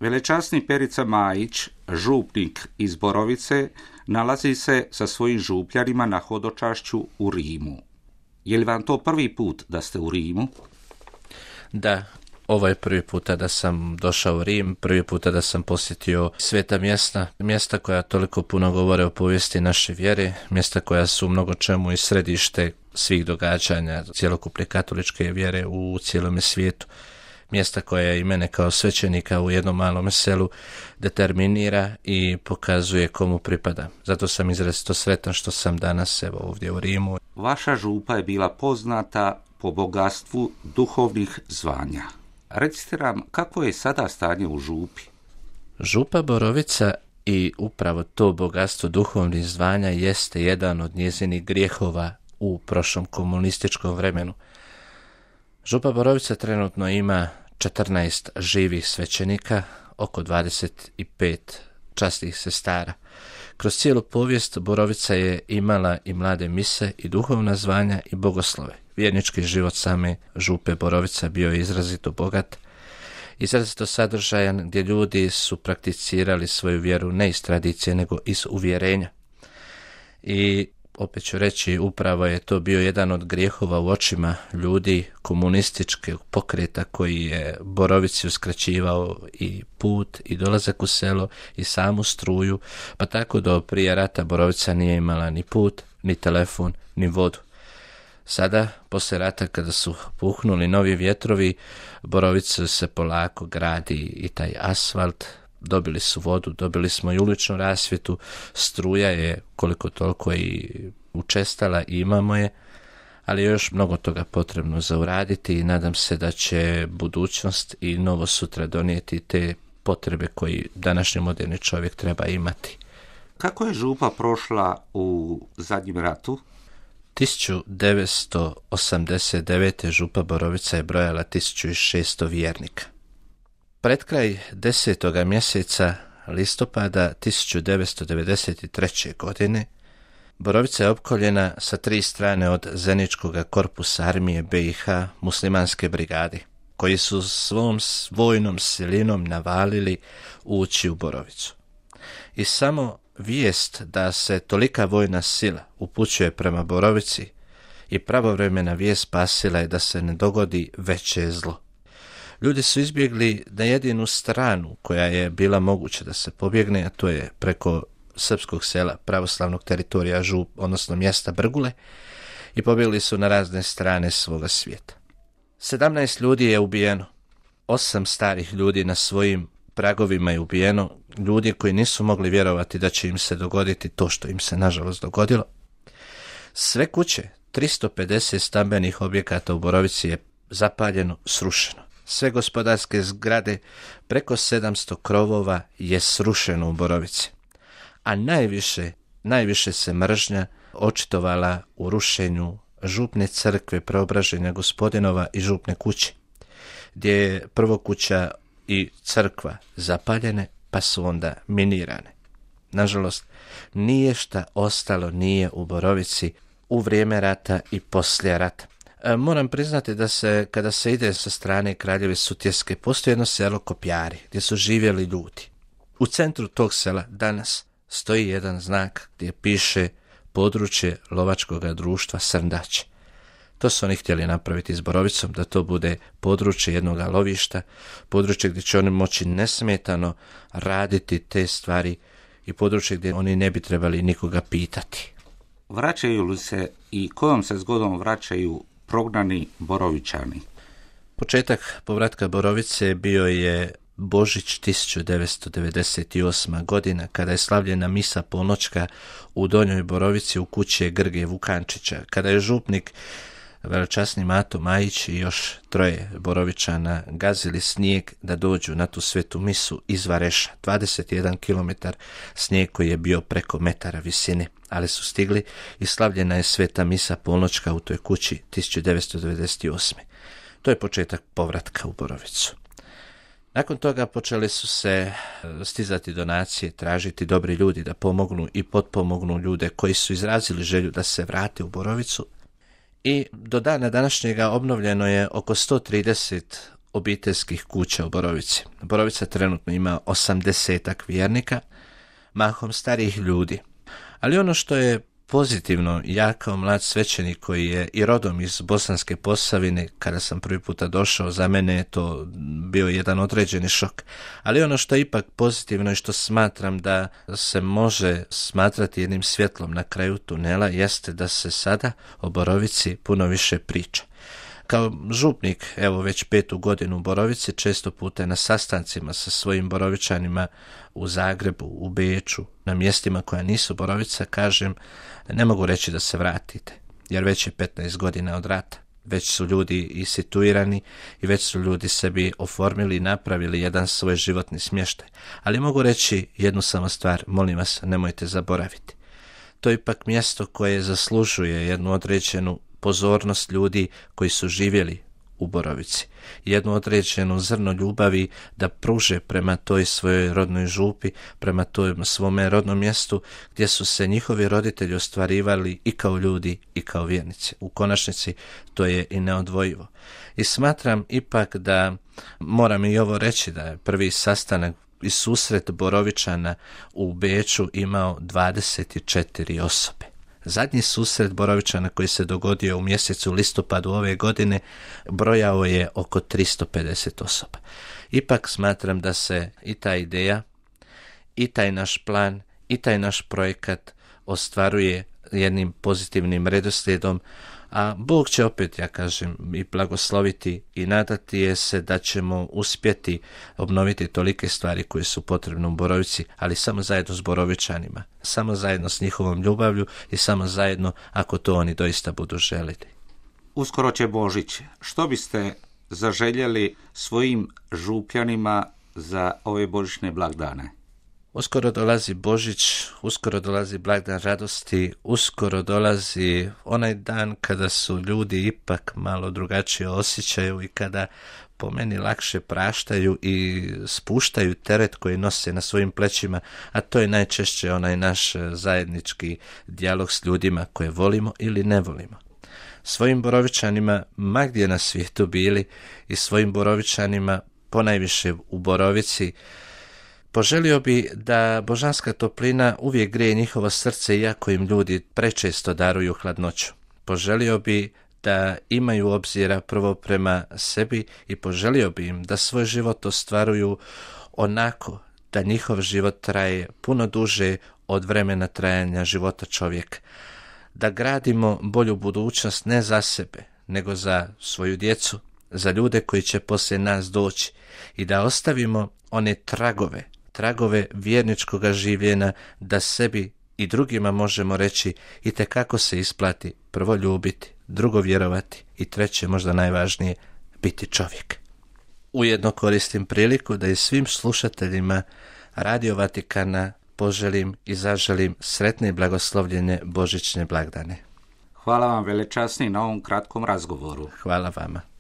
Velečasni Perica Majić, župnik iz Borovice, nalazi se sa svojim župljanima na hodočašću u Rimu. Je li vam to prvi put da ste u Rimu? Da, ovo je prvi puta da sam došao u Rim, prvi puta da sam posjetio sveta mjesta koja toliko puno govore o povijesti naše vjere, mjesta koja su u mnogo čemu i središte svih događanja cjelokupne katoličke vjere u cijelome svijetu. Mjesta koja i mene kao svećenika u jednom malom selu determinira i pokazuje komu pripada. Zato sam izrazito sretan što sam danas ovdje u Rimu. Vaša župa je bila poznata po bogatstvu duhovnih zvanja. Recite nam, kako je sada stanje u župi? Župa Borovica i upravo to bogatstvo duhovnih zvanja jeste jedan od njezinih grijehova u prošlom komunističkom vremenu. Župa Borovica trenutno ima 14 živih svećenika, oko 25 časnih sestara. Kroz cijelu povijest Borovica je imala i mlade mise i duhovna zvanja i bogoslove. Vjernički život same župe Borovica bio je izrazito bogat, izrazito sadržajan, gdje ljudi su prakticirali svoju vjeru ne iz tradicije nego iz uvjerenja. I opet ću reći, upravo je to bio jedan od grijehova u očima ljudi komunističkog pokreta koji je Borovici uskraćivao i put i dolazak u selo i samu struju, pa tako do prije rata Borovica nije imala ni put, ni telefon, ni vodu. Sada, poslije rata, kada su puhnuli novi vjetrovi, Borovica se polako gradi i taj asfalt, dobili su vodu, dobili smo i uličnu rasvjetu, struja je koliko toliko i učestala i imamo je, ali je još mnogo toga potrebno za uraditi i nadam se da će budućnost i novo sutra donijeti te potrebe koji današnji moderni čovjek treba imati. Kako je župa prošla u zadnjem ratu? 1989. župa Borovica je brojala 1600 vjernika. Pred kraj 10. mjeseca listopada 1993. godine Borovica je opkoljena sa 3 strane od Zeničkog korpusa armije BiH muslimanske brigade, koji su svom vojnom silinom navalili ući u Borovicu. I samo vijest da se tolika vojna sila upućuje prema Borovici i pravovremena vijest spasila je da se ne dogodi veće zlo. Ljudi su izbjegli na jedinu stranu koja je bila moguća da se pobjegne, a to je preko srpskog sela pravoslavnog teritorija Žup, odnosno mjesta Brgule, i pobjegli su na razne strane svoga svijeta. 17 ljudi je ubijeno, 8 starih ljudi na svojim pragovima je ubijeno, ljudi koji nisu mogli vjerovati da će im se dogoditi to što im se nažalost dogodilo. Sve kuće, 350 stambenih objekata u Borovici je zapaljeno, srušeno. Sve gospodarske zgrade, preko 700 krovova je srušeno u Borovici. A najviše se mržnja očitovala u rušenju župne crkve Preobraženja Gospodinova i župne kuće, gdje je prvo kuća i crkva zapaljene, pa su onda minirane. Nažalost, nije šta ostalo nije u Borovici u vrijeme rata i poslije rata. Moram priznati da kada se ide sa strane Kraljeve Sutjeske, postoji jedno selo Kopjari, gdje su živjeli ljudi. U centru tog sela danas stoji jedan znak gdje piše područje lovačkog društva Srndaće. To su oni htjeli napraviti s Borovicom, da to bude područje jednog lovišta, područje gdje će oni moći nesmetano raditi te stvari i područje gdje oni ne bi trebali nikoga pitati. Vraćaju li se i kojom se zgodom vraćaju prognani Borovičani? Početak povratka Borovice bio je Božić 1998. godina, kada je slavljena misa polnoćka u Donjoj Borovici u kući Grge Vukančića, kada je župnik velečasni Mato Majić i još 3 Borovičana gazili snijeg da dođu na tu svetu misu iz Vareša, 21 km snijeg koji je bio preko metara visine, ali su stigli i slavljena je sveta misa polnoćka u toj kući 1998. To je početak povratka u Borovicu. Nakon toga počeli su se stizati donacije, tražiti dobri ljudi da pomognu i potpomognu ljude koji su izrazili želju da se vrate u Borovicu. I do dana današnjega obnovljeno je oko 130 obiteljskih kuća u Borovici. Borovica trenutno ima 80-ak vjernika, mahom starijih ljudi. Ali ono što je pozitivno, ja kao mlad svećenik koji je i rodom iz Bosanske Posavine, kada sam prvi puta došao, za mene je to bio jedan određeni šok. Ali ono što je ipak pozitivno i što smatram da se može smatrati jednim svjetlom na kraju tunela jeste da se sada o Borovici puno više priča. Kao župnik, evo već 5. godinu u Borovici, često puta na sastancima sa svojim Borovičanima u Zagrebu, u Beču, na mjestima koja nisu Borovica, kažem, ne mogu reći da se vratite, jer već je 15 godina od rata. Već su ljudi i situirani i već su ljudi sebi oformili i napravili jedan svoj životni smještaj. Ali mogu reći jednu samo stvar, molim vas, nemojte zaboraviti. To je ipak mjesto koje zaslužuje jednu određenu pozornost ljudi koji su živjeli u Borovici. Jednu određenu zrno ljubavi da pruže prema toj svojoj rodnoj župi, prema tom svome rodnom mjestu gdje su se njihovi roditelji ostvarivali i kao ljudi i kao vjernici. U konačnici to je i neodvojivo. I smatram ipak da, moram i ovo reći, da je prvi sastanak i susret Borovičana u Beču imao 24 osobe. Zadnji susret Borovičana koji se dogodio u mjesecu listopadu ove godine brojao je oko 350 osoba. Ipak smatram da se i ta ideja, i taj naš plan, i taj naš projekat ostvaruje jednim pozitivnim redoslijedom, a Bog će opet, ja kažem, i blagosloviti i nadati je se da ćemo uspjeti obnoviti tolike stvari koje su potrebne u Borovici, ali samo zajedno s Borovičanima, samo zajedno s njihovom ljubavlju i samo zajedno ako to oni doista budu želiti. Uskoro će Božić. Što biste zaželjeli svojim župljanima za ove božićne blagdane? Uskoro dolazi Božić, uskoro dolazi blagdan radosti, uskoro dolazi onaj dan kada su ljudi ipak malo drugačije osjećaju i kada po meni lakše praštaju i spuštaju teret koji nose na svojim plećima, a to je najčešće onaj naš zajednički dijalog s ljudima koje volimo ili ne volimo. Svojim Borovičanima, ma gdje na svijetu bili, i svojim Borovičanima, ponajviše u Borovici, poželio bi da božanska toplina uvijek greje njihovo srce iako im ljudi prečesto daruju hladnoću. Poželio bi da imaju obzira prvo prema sebi i poželio bi im da svoj život ostvaruju onako da njihov život traje puno duže od vremena trajanja života čovjeka. Da gradimo bolju budućnost ne za sebe, nego za svoju djecu, za ljude koji će poslije nas doći i da ostavimo one tragove vjerničkoga življenja, da sebi i drugima možemo reći itekako se isplati prvo ljubiti, drugo vjerovati i treće, možda najvažnije, biti čovjek. Ujedno koristim priliku da i svim slušateljima Radio Vatikana poželim i zaželim sretne i blagoslovljene božićne blagdane. Hvala vam velečasni na ovom kratkom razgovoru. Hvala vama.